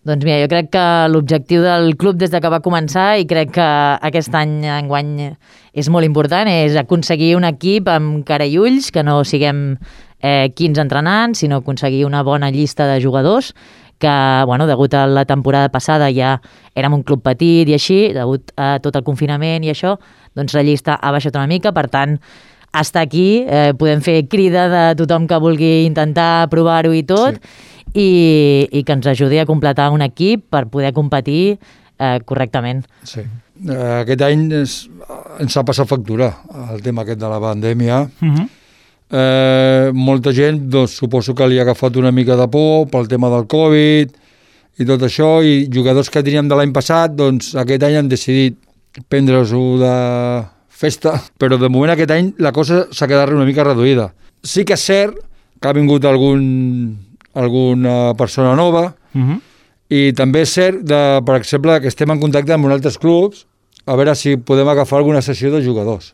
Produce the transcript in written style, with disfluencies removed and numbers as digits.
Doncs mira, jo crec que l'objectiu del club des de que va començar, i crec que aquest any, enguany, és molt important, és aconseguir un equip amb cara i ulls, que no siguem 15 entrenants, sinó aconseguir una bona llista de jugadors, que, bueno, degut a la temporada passada ja érem un club petit i així, degut a tot el confinament i això, doncs la llista ha baixat una mica, per tant, estar aquí, podem fer crida de tothom que vulgui intentar provar-ho i tot, i que ens ajudi a completar un equip per poder competir correctament. Sí. Aquest any ens ha passat factura el tema aquest de la pandèmia. Molta gent, doncs, suposo que li ha agafat una mica de por pel tema del Covid i tot això, i jugadors que teníem de l'any passat, doncs aquest any han decidit prendre-s'ho de festa, però de moment aquest any la cosa s'ha quedat una mica reduïda. Sí que és cert que ha vingut alguna persona nova, i també és cert, per exemple, que estem en contacte amb altres clubs a veure si podem agafar alguna sessió de jugadors.